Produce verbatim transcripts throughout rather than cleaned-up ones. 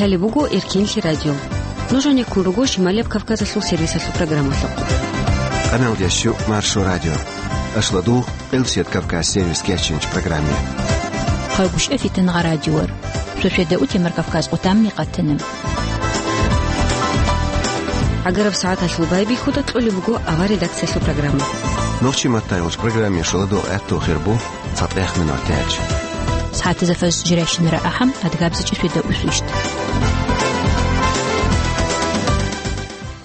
Лъалеб буго Эркинлъи радио. Нуж гьанеккун руго Шималияб Кавказалъул сервисалъул программалъухъ. Къаналда щу Маршо радио. Ашлу дугъ Къилсият Кавказ сервис кечинч программе. Хъалгушев Фитнагъа радиор. Сосиеда утемар Кавказ къутамни къатана. ГӀагараб сагӀаталъул байбихьуда кьолеб буго авар редакциялъул программа. Нохчи маттайолч программе шуладугъ гӀатту хирбу. ЦатӀех минут тяч. СагӀатазда фаз жирайщинара ахӀам, адгабзичӀи светда усвищт.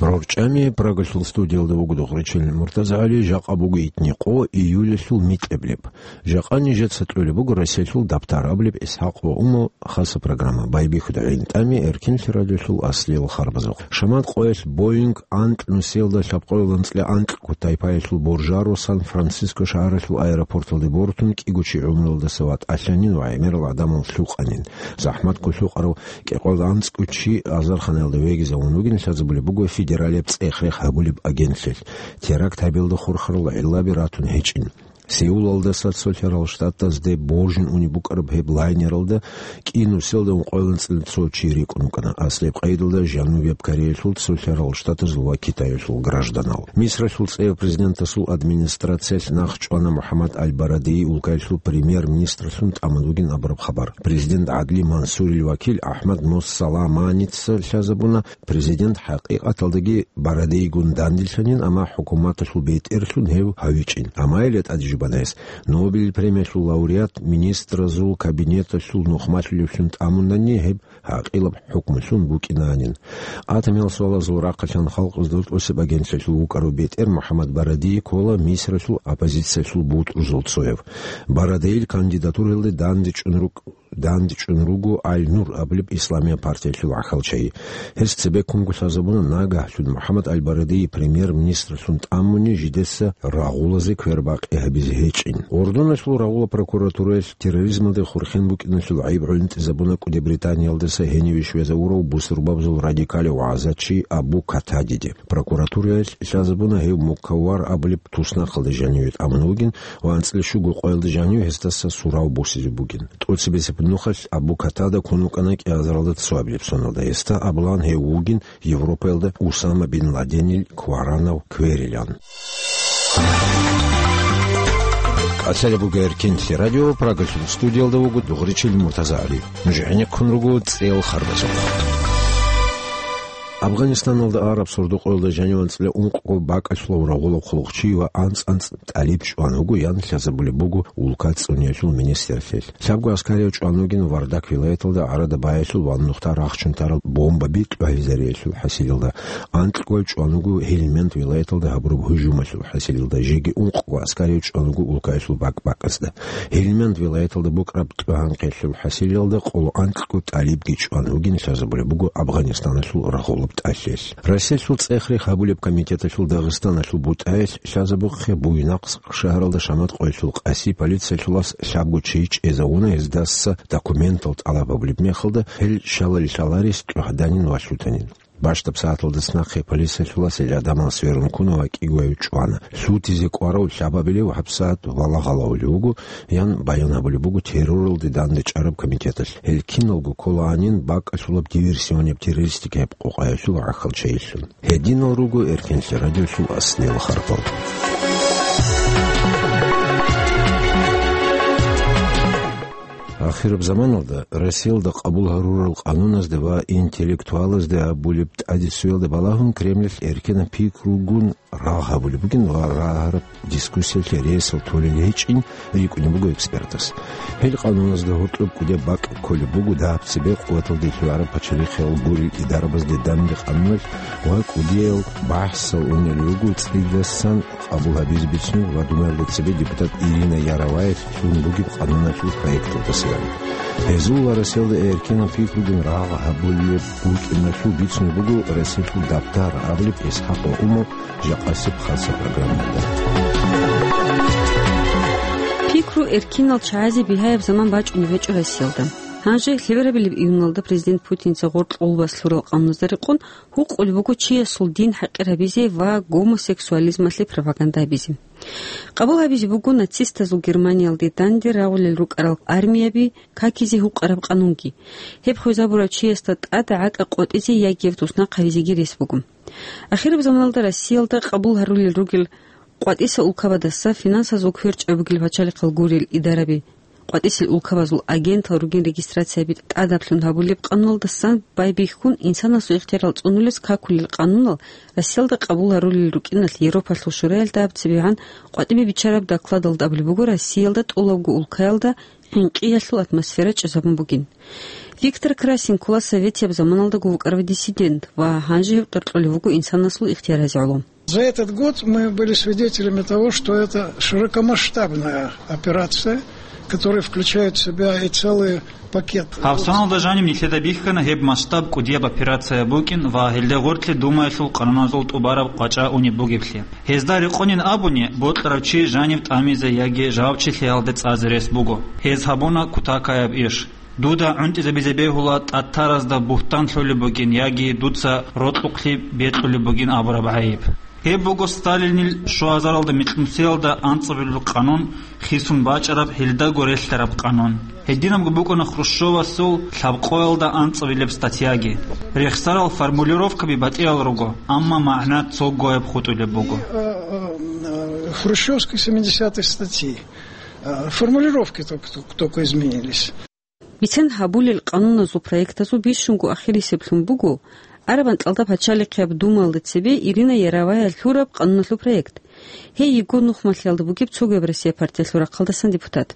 РорчӀами Прагалъул студиялда вуго дугъричил Муртазагьали, жакъа буго итни къо, июлалъул микьаблеб. Жакъа нижеца кьолеб буго Россиялъул дабтар абулеб ИсхӀакъ ва Умал хаса программа. Байбихьуда гӀинтӀами Эркинлъи радиолъул аслиял харбазухъ. Шамат къоялъ Боинг анкь нусиялда лъабкъоялда анцӀила анкьго тайпаялъул боржаро Сан-Франциско шагьаралъул аэропорталде бортун кӀиго чи гӀумруялдаса ватӀалъанин ва гӀемерал гӀадамал лъукъанин. ЗахӀматго лъукъарав кӀикъоялда анцӀго чи азарханаялда вегизавун вугин лъазабулеб буго федералияб цӀех-рех гьабулеб агентлъиялъ. Теракт гьабиялда хурхарал гӀиллаби ратун гьечӀин. Сеулалдаса цолъарал штатазде божун унеб букӀараб гьеб лайнералда кӀиго нусиялда ункъоялда анцӀила цо чи рикӀкӀун вукӀана, аслияб къайдалда Жанубияб Кореялъул, цолъарал штатазул ва Китаялъул гражданал. Мисралъул цӀеяв президентасул администрациялъ нахъчӀвана МухӀаммад аль-Барадеи улкаялъул премьер-министрлъун тӀамун вугин абураб хабар. Президент ГӀадли Мансурил вакил АхӀмад Моссаламаница лъазабуна, президент хӀакъикъаталдаги Барадейгун данделъанин, амма хӀукуматалъул бетӀерлъун гьев гьавичӀин. Амма гьеле тӀаде жубана гьес, Нобелил премиялъул лауреат министразул кабинеталъул нухмалъулевлъун тӀамунани, гьеб гӀакъилаб хӀукмулъун букӀинанин. Атомиял суалазул рахъалъан халкъалъул тӀоцеб агентлъиялъул вукӀарав бетӀер МухӀаммад Барадей ккола Мисралъул оппозициялъул бутӀрузул цояв. Барадейил кандидатураялде дандечӀун рук-, дандечӀун руго Аль-Нур абулеб исламияб партиялъул гӀахьалчагьи. Гьес цебеккунго лъазабуна, нагагьлъун МухӀаммад аль-Барадей премьер-министрлъун тӀамуни жидеца рагъулазе квербакъи гьабизе гьечӀин. Ордуналъул рагъула прокуратураялъ терроризмалде хурхен букӀиналъул гӀайиб гӀунтӀизабуна КӀуди Британиялдаса гьениве щвезавурав бусурбабазул радикалив вагӀзачи Абу Катадиде. Прокуратураялъ лъазабуна, гьев Мукаввар абулеб туснахъалда жаниве тӀамун вугин ва анцӀила щуго къоялда жанив гьесдаса сурав босизе бугин. ТӀоцебесеб нухалъ Абу Катада ккун вукӀана кӀиазаралда цоабилеб соналда. Гьесда абулаан гьев вугин Европаялда Усама бин Ладенил кваранав кверилан. КӀалъалеб буго Эркинлъи радио, Прагалъул студиялда вуго дугъричил Муртазагьали. Нуж гӀенеккун руго цӀеял харбазухъ. Афганистаналда араб сордо-къоялда жанив анцӀила ункъго бакӀалъулав рагъулаб хъулухъчи ва анцӀ-анцӀ тӀалиб чӀван вуго, ян лъазабулеб буго улка цӀуниялъул министрлъиялъ. Лъабго аскарияв чӀван вугин Вардак вилаяталда гӀарада баялъул ва нухда рахчун тарал бомбаби тӀугьизариялъул хӀасилалда. Анкьго чӀван вуго Гьелманд вилаяталда гьабураб гьужумалъул хӀасилалда, жеги ункъго аскарияв чӀван вуго улкаялъул бакӀ-бакӀазда. Гьелманд вилаяталда букӀараб тӀугьанкъиялъул хӀасилалда къоло анкьго тӀалибги чӀван вугин лъазабулеб буго Афганистаналъул рагъулаб тӀалъиялъ. Россиялъул цӀех-рех гьабулеб комитеталъул Дагъистаналъул бутӀаялъ лъазабухъе Буйнакск шагьаралда Шамат къоялъул къаси полициялъулас лъабго чи чӀезавуна, гьездаса документал тӀалаб гьабулеб мехалда, гьел щалали лъаларес тӀугьданин ва лъутанин. Бащдаб сагӀаталдаса нахъе полициялъулас гьел гӀадамал сверун ккуна ва кӀигояв чӀвана. Лъутизе кӀварав лъабабилев гьабсагӀат валагьалавулев вуго, ян баян гьабулеб буго терроралде дандечӀараб комитеталъ. Гьел киналго кколаанин бакӀалъулаб диверсионияб террористикаяб къокъаялъул гӀахьалчагьилъун. Гьединал руго Эркинлъи радиолъул аслиял харпал. Ахираб заманалда Россиялда къабул гьарурал къануназде ва интеллектуалазде абулеб тӀадицуялда балагьун Кремльалъ эркенаб пикругун рагъ гьабулеб бугин ва рагьараб дискуссиялъе ресал толел гьечӀин рикӀкӀунеб буго экспертас. Гьел къануназда гьоркьоб кӀудияб бакӀ кколеб буго даб цебе къуваталде лъугӀараб пачалихъиял гурел идарабазде данде къануналъ ва кӀудиял бахӀсал унел руго цӀидасан къабул гьабизе бицунеб ва Думаялда цебе депутат Ирина Яроваялъ лъун бугеб къануналъул проекталдасаги. Гьезул ва Россиялда эркенаб пикругун рагъ гьабулеб букӀиналъул бицунеб буго Россиялъул дабтар абулеб ИсхӀакъ ва Умал жакъасеб хаса программада. Пикру эркинал чагӀазе бигьаяб заман бачӀунеб гьечӀо Россиялда. Гьанже лъеберабилеб июналда президент Путинца гъоркь гъулбас лъурал къануназдаса рекъон гьукъулеб буго чиясул дин хӀакъир гьабизе ва гомосексуализмалъе пропаганда гьабизе. Къабул гьабизе буго нацистазул Германиялде данде рагъулел рукӀарал армияби какизе гьукъараб къанунги. Гьеб хвезабурав чиясда тӀад гӀакӀа къотӀизе яги гьев туснахъ гьавизеги рес буго. Ахираб заманалда Россиялда къабул гьарулел ругел къватӀиса улкабадаса финансазул кверчӀаб бугел пачалихъал гурел идараби, къватӀисел улкабазул агентал ругин регистрацияби тӀадаблъун гьабулеб къануналдасан байбихьун, инсанасул ихтиярал цӀунулес какулел къанунал Россиялда къабул гьарулел рукӀиналъ Европалъул Шураялда гьаб цебегӀан къватӀибе биччараб докладалда абулеб буго, Россиялда тӀолабго улкаялда хӀинкъиялъул атмосфера чӀезабун бугин. Виктор Красин ккола советияб заманалдаго вукӀарав диссидент ва гьанже гьев тӀоркьулев вуго инсанасул ихтияразе гӀоло. За этот год мы были свидетелями того, что это широкомасштабная операция, которая включает в себя и целые пакеты. Гьаб соналда жаниб нилъеда бихьана гьеб масштаб кӀудияб операция букӀин ва гьелде гъоркье Думаялъул къануназул тӀубараб къвачӀа унеб бугеблъи. Гьезда рекъонин абуни, бокьарав чи жанив тӀамизе яги жавабчилъиялде цӀазе рес буго. Гьез гьабуна кутакаяб иш. Дуда гӀунтӀизабизе бегьула тӀатаразда бугьтан лъолеб бугин яги дуца рокьукълъи бекьулеб бугин абураб гӀайиб. Гьеб буго Сталинил щуазаралда микьнусиялда анцӀабилеб къанун хисун бачӀараб, гьелдаго релълъараб къанун. Гьединабго букӀана Хрущевасул лъабкъоялда анцӀабилеб статьяги. Рехсарал формулировкаби батӀиял руго, амма магӀна цогояб хутӀулеб буго. Э, э, э, хрущевской семидесятой статьи. Э, формулировки только, только изменились. Бицен гьабулел къануназул проектазул бищунго ахирисеблъун буго араб анкьалда пачалихъияб Думаялда цебе Ирина Яровая лъураб къануналъул проект. Гьей йиго нухмалъиялда бугеб цогояб Россия партиялъул рахъалдасан депутат.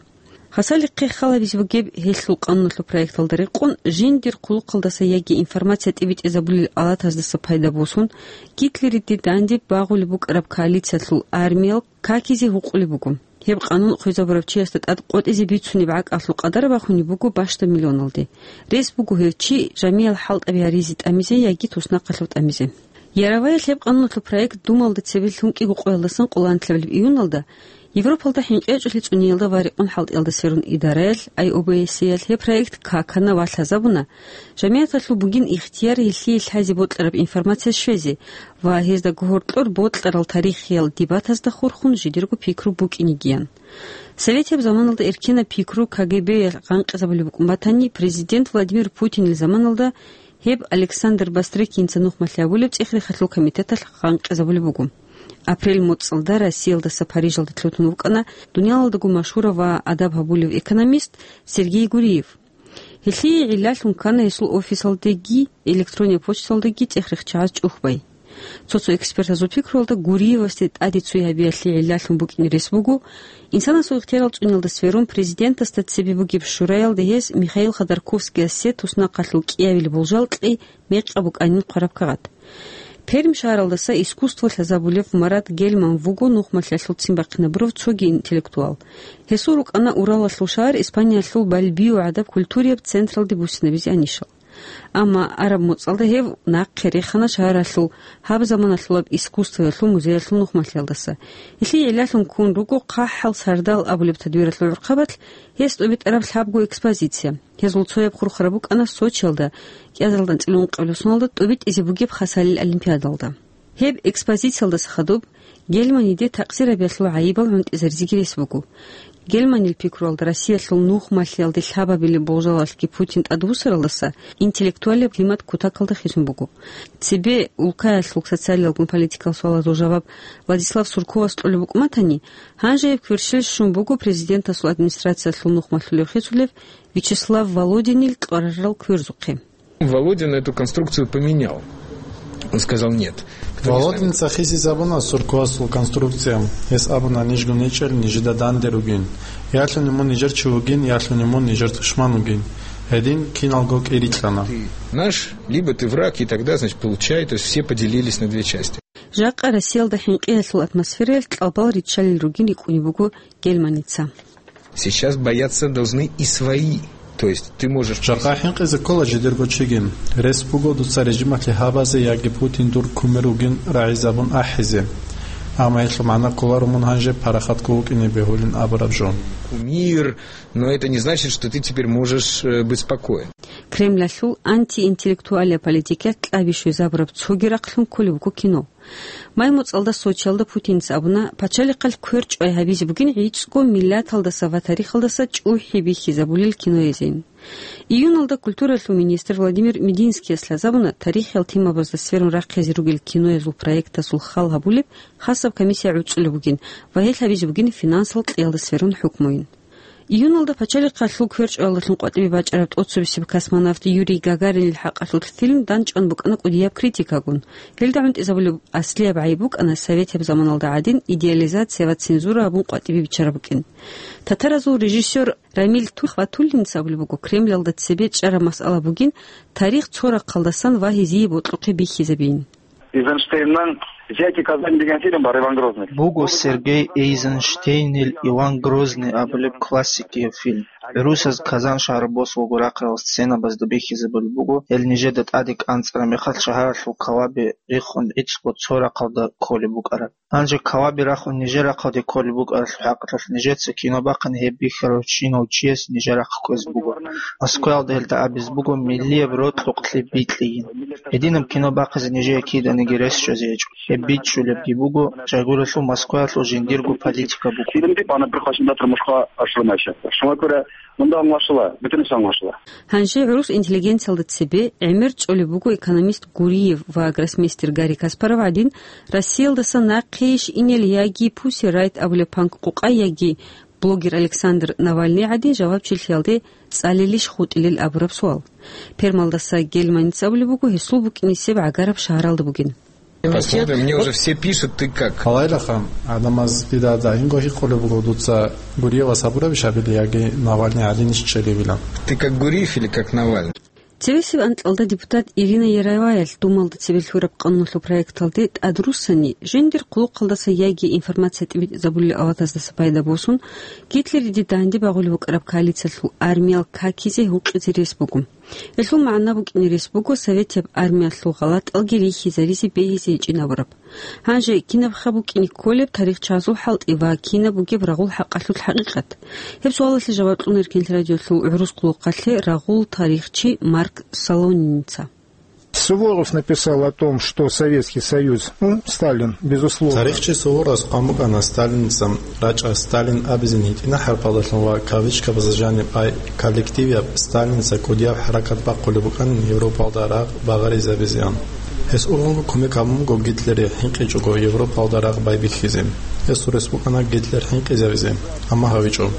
Хасалихъе хал гьабизе бугеб гьелъул къануналъул проекталда рекъон жиндир хъулухъалдаса яги информация тӀибитӀизабулел алатаздаса пайда босун, Гитлериде данде багъулеб букӀараб коалициялъул армиял какизе гьукъулеб буго. Гьеб къанун хвезабурав чиясда тӀад къотӀизе бицунеб гӀакӀалъул къадар бахунеб буго бащдаб миллионалде. Рес буго гьев чи жамиял хӀалтӀаби гьаризе тӀамизе яги туснахъалъув тӀамизе. Яровая гьеб къануналъул проект Думаялда цебе лъугӀараб къоялдасан къоло анлъабилеб июналда Европалда хӀинкъи гьечӀолъи цӀуниялда ва рекъон хӀалтӀиялда сверун идараялъ, ай о бэ эс е-ялъ, гьеб проект какана ва лъазабуна, жамияталъул бугин ихтияр гьелъие лъазе бокьараб информация щвезе ва гьезда гьоркьор бокьарал тарихиял дебатазда хурхун жидерго пикру букӀинегиян. Советияб заманалда эркенаб пикру К Г Б-ял гъанкъизабулеб букӀун батани, президент Владимир Путинил заманалда гьеб Александр Бастрыкинца нухмалъи абулеб цӀех-рехалъул комитеталъ гъанкъизабулеб буго. Апрель моцӀалда Россиялдаса Парижалде лъутун вукӀана дуниялалдаго машгьурав ва адаб гьабулев экономист Сергей Гуриев. Гьелъие гӀиллалъун ккана гьесул офисалдеги электронный почталдеги цӀех-рехчагӀаз чӀухӀбай. Цо-цо экспертазул пикруялда Гуриевасде тӀаде цой гьабиялъе гӀиллалъун букӀине рес буго, инсанасул ихтиярал цӀуниялда сверун президентасда цебе бугеб шураялда гьес Михаил Ходорковскиясе туснахъалъул кӀиабилеб болжал кьей мекъаб букӀанин хъвараб кагъат. Пермь шагьаралдаса искусство лъазабулев Марат Гельман вуго нухмалъиялъул ццин бахъинабурав цоги интеллектуал. Гьесул рукӀана Уралалъул шагьар Испаниялъул Бальбио гӀадаб культурияб централде буссинабизе анищал. Амма араб моцӀалда гьев нахъе рехана шагьаралъул гьаб заманалъулаб искусствоялъул музеялъул нухмалъиялдаса. Гьелъие гӀиллалъун ккун руго ХъахӀал сардал абулеб тадбиралъул гӀурхъабалъ гьес тӀубитӀараб лъабго экспозиция. Гьезул цояб хурхараб букӀана Сочиялда, кӀиазаралда анцӀила ункъабилеб соналда тӀубитӀизе бугеб Хасалил олимпиадалда. Гьеб экспозициялдаса хадуб Гельманиде такъсир гьабиялъул гӀайибал гӀунтӀизаризеги рес буго. Гельманил пикруялда Россиялъул нухмалъиялде лъабабилеб болжалалъги Путин тӀадбуссаралдаса интеллектуалияб климат кутакалда хисун буго. Цебе улкаялъул социалиялгун политикал суалазул жаваб Владислав Сурковас кьолеб букӀун батани, гьанже гьеб кверщел щун буго президентасул администрациялъул нухмалъулев хисулев Вячеслав Володинил кьварарал кверзухъе. Володин эту конструкцию поменял. Он сказал: «Нет». Кто не с нами... Володинца хисизабуна Сурковасул конструкция. Гьес абуна: «Нижгун гьечӀел нижеда данде ругин. Ялъуни мун нижер чи вугин, ялъуни мун нижер тушман вугин. Гьедин киналго кӀирикьана». Ты наш, либо ты враг, и тогда, значит, получай, то есть все поделились на две части. Жакъа Россиялда хӀинкъиялъул атмосфераялъ кьабал риччалел ругин рикӀкӀунеб буго Гельманица. Сейчас бояться должны и свои. То есть ты можешь... Жакъа хӀинкъизе ккола жидерго чиги. Рес буго дуца режималъе гьабазе яги Путин дур кумир вугин рагӀизабун ахӀизе. Амма гьелъул магӀна кколаро мун гьанже парахатго вукӀине бегьулин абураб жо. Кумир, но это не значит, что ты теперь можешь, э, быть спокоен. Кремлалъул антиинтеллектуалияб политикаялъ кьаби щвезабураб цоги рахълъун кколеб буго кино. Май моцӀалда Сочиялда Путиница абуна, пачалихъалъ кверчӀвай гьабизе бугин гӀицӀго миллаталдаса ва тарихалдаса чӀухӀи бихьизабулел киноязин. Июналда культуралъул министр Владимир Мединскияс лъазабуна тарихиял темабазда сверун рахъизе ругел киноязул проектасул хал гьабулеб хасаб комиссия гӀуцӀулеб бугин ва гьелъ гьабизе бугин финансал кьиялда сверун хӀукмуйин. Июналда пачалихъалъул кверчӀваялдалъун къватӀибе бачӀараб тӀоцебесеб космонавт Юрий Гагаринил хӀакъалъулъ фильм данчӀван букӀана кӀудияб критикагун. Гьелда гӀунтӀизабулеб аслияб гӀайиб букӀана советияб заманалда гӀадин идеализация ва цензура гьабун къватӀибе биччараб букӀин. Татаразул режиссёр Рамиль Ту-, Хватуллинца абулеб буго, Кремлалда цебе чӀараб масъала бугин тарих цо рахъалдасан ва гьезие бокьухъе бихьизабиин. Эйзенштейнның «Взятие Казани» деген фильм бар, Иван Грозный. Буго Сергей Эйзенштейнил «Иван Грозный» абулеб классикияб фильм. ГӀурусаз Казан шагьар босулго рахъарал сценабазда бихьизабулеб буго, гьел нижеда тӀаде кӀанцӀараб мехалъ шагьаралъул калаби рехун гӀицӀго цо рахъалда кколеб букӀараб. Гьанже калаби рахун нижер рахъалде кколеб букӀаралъул хӀакъалъулъ нижеца кино бахъани гьеб бихьарав чинав чияс нижер рахъ кквезе буго. Москваялда гьелда абизе буго миллияб рокьукълъи бикьейин. Гьединаб кино бахъизе нижее киданиги рес чӀвазе гьечӀо. Гьеб бичӀчӀулебги буго, жагуралъул Москваялъул жиндирго политика буго. Фильмде пана прихвачен датра мушха ашрынайша. Шума кура, мунда англашила, битинес англашила. Гьанже гӀурус интеллигенциялда цебе гӀемер чӀолеб буго экономист Гуриев ва гроссмейстер Гарри Каспаров гӀадин, Россиялдаса нахъейищ инел яги Pussy Riot абулеб панк-къукъай, яги блогер Александр Навальный гӀадин жавабчилъиялде цӀалилищ хутӀилел абураб суал. Пермалдаса Гельманица абулеб буго гьесул букӀинисеб гӀагараб шагьаралда бугин. Посмотрим, мне уже все пишут, ты как? Гьалайлаха, гӀадамаз дида дагьинго гьикъулеб буго, дуца Гуриевас гьабурабищ гьабилеб яги Навальный гӀадинищ чӀезабилеб? Ты как Гуриев или как Навальный? Цебесеб анкьалда депутат Ирина Яроваялъ Думалда цебе лъураб къануналъул проекталде тӀадруссани, жиндир хъулухъалдаса яги информация тӀибитӀизабулел авлатаздаса пайда босун, Гитлериде данде багъулеб букӀараб коалициялъул армиял какизе гьукъизе рес буго. Гьелъул магӀна букӀине рес буго советияб армиялъул гъалатӀалги рихьизаризе бегьизе гьечӀин абураб. Гьанже кинабха букӀине кколеб тарихчазул хӀалтӀи ва кинаб бугеб рагъул хӀакъалъулъ хӀакъикъат? Гьеб суалалъе жаваб кьуна Эркенлъи радиолъул гӀурус хъулухъалъе рагъул тарихчи Марк Солониница. Суворов написал о том, что Советский Союз, ну, Сталин, безусловно. Тарихчи Суворовас хъван букӀана Сталиница рачӀа Сталин абизин гьитӀина хӀарпалдалъун ва кавычкабазда жаниб ай коллективияб Сталиница кӀудияб хӀаракат бахъулеб букӀанин Европалда рагъ багъаризабизеян. Гьес ургъунго кумек гьабун буго Гитлерие, хӀинкъичӀого Европалда рагъ байбихьизе. Гьесул рес букӀана Гитлер хӀинкъизавизе, амма гьавичӀо.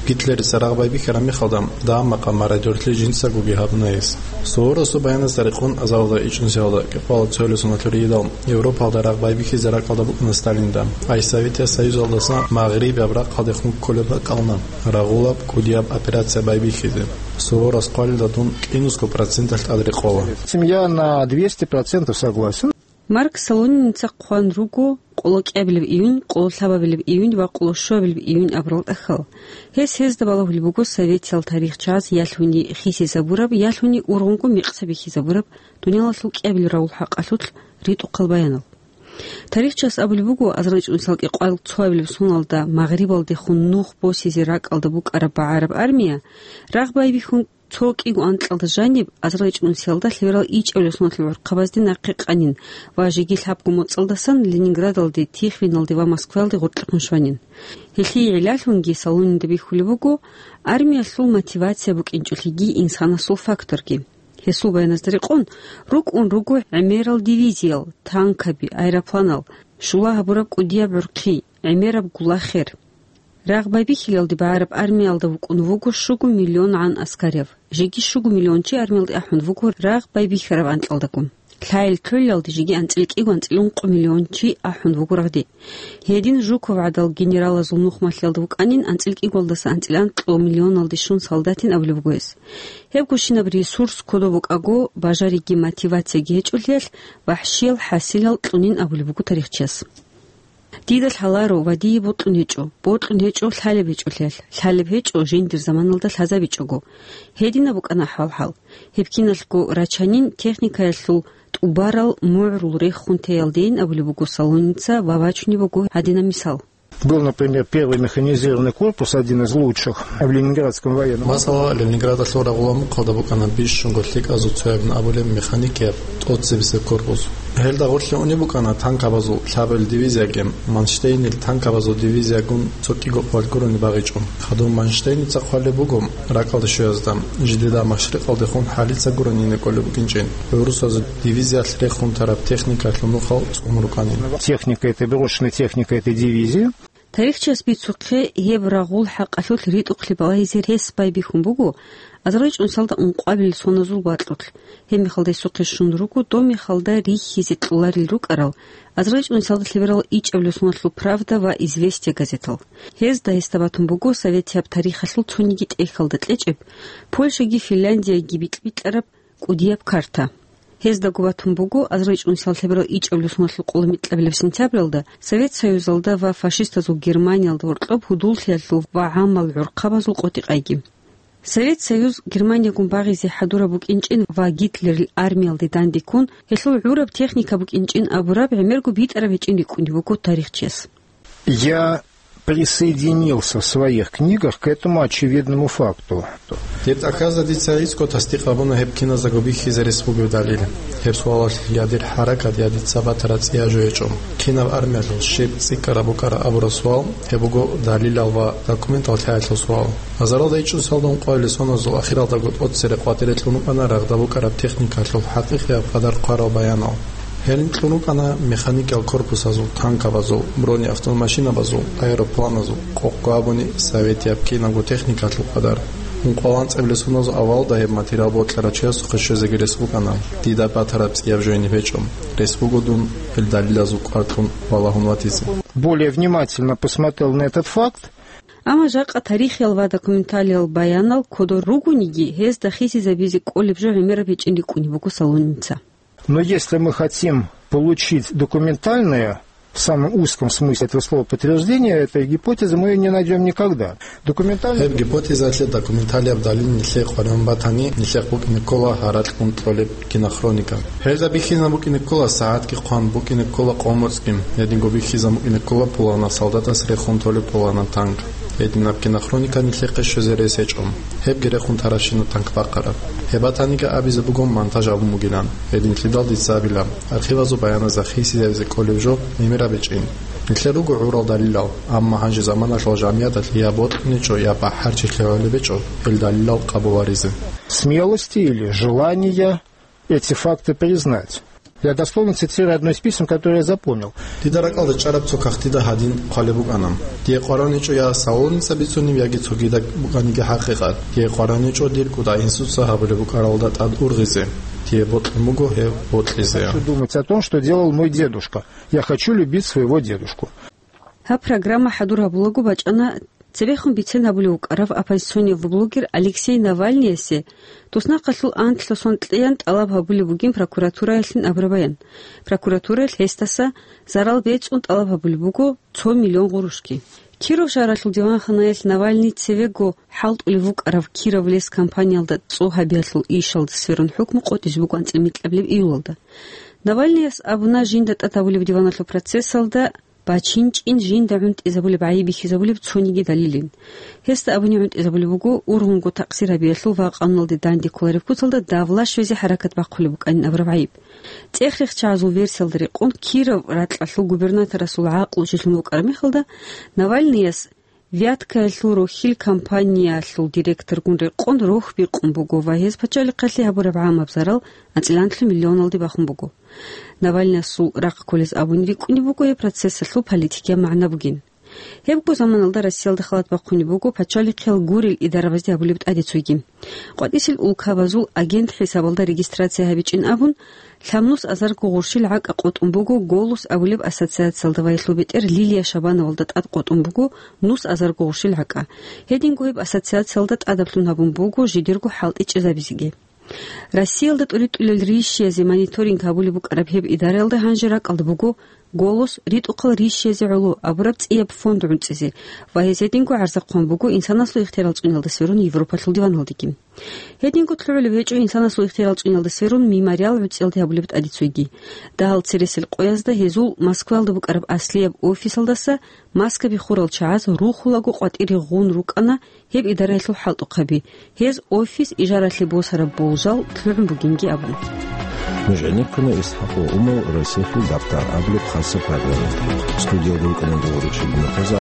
Гитлерица рагъ байбихьараб мехалда, дагьаб-макъаб мародёрлъи жинцагоги гьабуна гьес. Суворовасул баяназда рекъон азарилда ичӀнусиялда кӀикъоялда цоялъул соналъул ригьидал Европалда рагъ байбихьизе ракӀалда букӀана Сталинда. Ай Советияб Союзалдаса магърибияб рахъалдехун кколеб бакӀална, рагъулаб кӀудияб операция байбихьизе. Суворовас хъвалилда дун кӀинусго проценталъ тӀад рекъола. Семья на двести процентов согласен. Марк Солониница хъван руго къолокӀиабилеб июнь, къололъабабилеб июнь ва къолошуабилеб июнь абурал тӀахьал. Гьес гьезда балагьулеб буго советиял тарихчаз ялъуни хисизабураб, ялъуни ургъунго мекъса бихьизабураб дуниялалъул кӀиабилеб рагъул хӀакъалъулъ ритӀухъал баянал. Тарихчас абулеб буго, азарилда ичӀнусиялда кӀикъоялда цоабилеб соналда Магърибалдехун нух босизе ракӀалда букӀараб багӀараб армия, рагъ байбихьун цо кӀиго анкьалда жаниб, азарилда ичӀнусиялда лъеберал ичӀабилеб соналъул гӀурхъабазде нахъе къанин ва жеги лъабго моцӀалдасан Ленинградалде, Тихвиналде ва Москваялде гъоркьехун щванин. Гьелъие гӀиллалъунги Солонинда бихьулеб буго армиялъул мотивация букӀинчӀолъиги инсанасул факторги. Гьесул баяназда рекъон, рукӀун руго гӀемерал дивизиял, танкаби, аэропланал, щула гьабураб кӀудияб гӀурхъи, гӀемераб гулахер. Рагъ байбихьилалде багӀараб армиялда вукӀун вуго щуго миллион гӀан аскарав. Жеги щуго миллион чи армиялде ахӀун вуго рагъ байбихьараб анкьалдаго. Лъайил кьолалде жеги анцӀила кӀиго, анцӀила ункъо миллион чи ахӀун вуго рагъде. Гьедин Жуков гӀадал генералазул нухмалъиялда вукӀанин анцӀила кӀиголдаса анцӀила анкьго миллионалде щун солдатин абулеб буго гьес. Гьебгощинаб ресурс кодоб букӀаго, бажариги мотивацияги гьечӀолъиялъ, вахӀшиял хӀасилал кьунин абулеб буго тарихчияс. Дида лъаларо ва дие бокьун гьечӀо, бокьун гьечӀо лъалеб гьечӀолъиялъ, лъалеб гьечӀо жиндир заманалда лъазабичӀого. Гьединаб букӀана ахӀвал-хӀал. Гьеб киналъго рачанин техникаялъул тӀубарал мугӀрул рехун теялдейин абулеб буго Солоница ва вачунеб буго гьадинаб мисал. Был, например, первый механизированный корпус, один из лучших в Ленинградском военном. Масала, Ленинградалъул рагъула мухъалда букӀана бищунго лъикӀазул цоябин абулеб механикияб тӀоцебесеб корпус. Гьелда гъорлъе унеб букӀана танкабазул лъабабил дивизияги, Манштейнил танкабазул дивизиягун цо кӀиго къвал гурони багъичӀо. Хадуб Манштейница хъвалеб буго ракӀалде щвеязда, жидеда машрикъалдехун хӀалица гурони ине кӀолеб букӀинчӀин, гӀурусазул дивизиялъ рехун тараб техникалъул нухал цӀун рукӀанин. Техника этой, брошенная техника этой дивизии. Тарихчияс бицухъе, гьеб рагъул хӀакъалъулъ ритӀухълъи балагьизе рес байбихьун буго азарилчӀун соналда ункъабилеб соназул бакьулъ. Гьеб мехалда гьесухъе щун руго доб мехалда рихьизе кьоларел рукӀарал, азарилчӀун соналда лъеберал ичӀабилеб соналъул «Правда» ва «Известия» газетал. Гьезда гьесда батун буго советияб тарихалъул цониги тӀехьалда кьечӀеб, Польшаги Финляндияги бикь-бикьараб кӀудияб карта. Гьездаго батун буго азарилчӀун соналъ лъеберал ичӀабилеб соналъул къоло микьабилеб сентябралда Совет Союзалда ва фашистазул Германиялда гьоркьоб гьудуллъиялъул ва гӀамал гӀурхъабазул къотӀи-къайги. Совет Союз Германиягун багъизе хӀадураб букӀинчӀин ва Гитлерил армиялде дандеккун, гьелъул гӀураб техника букӀинчӀин абураб гӀемерго битӀараб гьечӀин рикӀкӀунеб буго тарихчияс. Я присоединился в своих книгах к этому очевидному факту. Гьеб тӀахьазда дица гӀицӀго тасдикъ гьабуна гьеб киназдаго бихьизе рес бугеб далил. Гьеб суалалъ я дир хӀаракат, я дица батараб цӀияб жо гьечӀо. Кинаб армиялъул щиб цӀикӀкӀараб букӀараб абураб суал, гьеб буго далилал ва документал лъаялъул суал. Азаралда ичӀун соналда ункъоялил соназул ахиралдаго тӀоцере къватӀире кьун рукӀана рагъда букӀараб техникалъул хӀакъикъияб къадар хъварал баянал. Гьелин кьун рукӀана механикиял корпусазул, танкабазул, бронеавтомашинабазул, аэропланазул, къокъго абуни советияб кинабго техникалъул къадар. Ункъоялда анцӀабилеб соназул авалалда гьеб материал бокьарав чиясухъе щвезеги рес букӀана, дида батараб цӀияб жо гьениб гьечӀо. Рес буго дун гьел далилазул кӀвар кьун валагьун ватизе. Более внимательно посмотрел на этот факт. Амма жакъа тарихиял ва документалиял баянал кодор ругониги, гьезда хисизабизе кӀолеб жо гӀемераб гьечӀин рикӀкӀунеб буго Солоница. Но если мы хотим получить документальное, в самом узком смысле этого слова, подтверждение этой гипотезы, мы её не найдём никогда. Документальный... Гьеб гипотезаялъе документалияб далил нилъее къваригӀун батани, нилъехъ букӀине ккола гьаракьун кьолеб кинохроника. Гьелда бихьизабун букӀине ккола сагӀатги хъван, букӀине ккола къо-моцӀги, гьединго бихьизабун букӀине ккола пуланаб солдатас рехун толеб пуланаб танк. Гьединаб кинохроника нилъехъе щвезе рес гьечӀо. Гьебги рехун тарабщина танк бахъараб. Гьеб батаниги абизе буго монтаж гьабун бугилан. Гьединлъидал дица абила, архивазул баяназда хисизабизе кӀолеб жо гӀемераб гьечӀин. Нилъер руго гӀурал далилал, амма гьанже заманалъул жамигӀаталъ я бокьунечӀо, я бахӀарчилъи гӀолеб гьечӀо гьел далилал къабуларизе. Смелости или желания эти факты признать. Я дословно цитирую одно из писем, которое я запомнил. Дида ракӀалда чӀараб цо кагътида гьадин хъвалеб букӀана: «Дие къваригӀунечӀо я Солоница бицунеб, яги цогидаб букӀаниги хӀакъикъат. Дие къваригӀунечӀо дир кӀудиясда гьабулеб букӀаралда тӀад ургъизе. Дие бокьун буго гьеб бокьизе». Хочу думать о том, что делал мой дедушка. Я хочу любить своего дедушку. Гьаб программа хӀадур гьабулаго бачӀана цебехун бицен гьабулев вукӀарав оппозиционный блогер Алексей Навальныясе туснахъалъул анлъго сон кьеян тӀалаб гьабулеб бугин прокуратураялъин абураб баян. Прокуратураялъ гьесдаса зарал бецӀун тӀалаб гьабулеб буго цо миллион гъурушги. Киров шагьаралъул диванханаялъ Навальный цевего хӀалтӀулев вукӀарав Кировлес компаниялда цӀо гьабиялъул ишалда сверун хӀукму къотӀизе буго анцӀила микьабилеб июлалда. Навальныяс абуна жинда тӀад гьабулеб диваналъул процессалда бачинчӀин жинда гӀунтӀизабулеб гӀайиб бихьизабулеб цониги далилин. Гьесда абуни гӀунтӀизабулеб буго ургъунго такъсир гьабиялъул ва къануналде данде кколареб куцалда давла щвезе хӀаракат бахъулеб букӀанин абураб гӀайиб. ЦӀех-рехчагӀазул версиялда рекъон, Киров ракьалъул губернаторасул гӀакълу жирлъун вукӀараб мехалда, Навальныяс Вяткаялъул рохьил компаниялъул директоргун рекъон рохь бикъун буго ва гьез пачалихъалъе гьабураб гӀамаб зарал анцӀила анлъго миллионалде бахун буго. Навальныясул рахъ кколез абун рикӀкӀунеб буго гьеб процессалъул политикияб магӀна бугин. Гьебго заманалда Россиялда халат бахъунеб буго пачалихъиял гурел идарабазде гьабулеб тӀаде цойги. КъватӀисел улкабазул агент хӀисабалда регистрация гьабичӀин абун, лъабнус азарго гъурщил гӀакӀа къотӀун буго «Голос» абулеб ассоциациялда ва гьелъул бетӀер Лилия Шабановалда тӀад къотӀун буго нус азарго гъурщил гӀакӀа. Гьединго гьеб ассоциациялда тӀадаблъун гьабун буго жидерго хӀалтӀи чӀезабизеги. Россиялда тӀуритӀулел ришиязе мониторинг гьабулеб букӀараб гьеб идараялда гьанже ракӀалда буго «Голос», «РитӀухъал рищезе гӀоло» абураб цӀияб фонд гӀунтӀизе ва гьез гьединго гӀарзахъун буго инсанасул ихтиярал цӀуниялда сверун Европалъул диваналдеги. Гьединго лъугӀулеб гьечӀо инсанасул ихтиярал цӀуниялда сверун «Мемориал» гӀуцӀиялде гьабулеб тӀадицуйги. Дагьал цересел къоязда гьезул Москваялда букӀараб аслияб офисалдаса маскаби хурал чагӀаз рухулаго къватӀире гъун рукӀана гьеб идараялъул хӀалтӀухъаби, гьез офис ижаралъе босараб болжал лъугӀун бугинги абун. Нуж гӀенеккуна ИсхӀакъ ва Умал «Россиялъул дагъ-дагъ» абулеб хасаб программаялде. Студиялда рукӀана Дугъурихъ Шибинахъаза,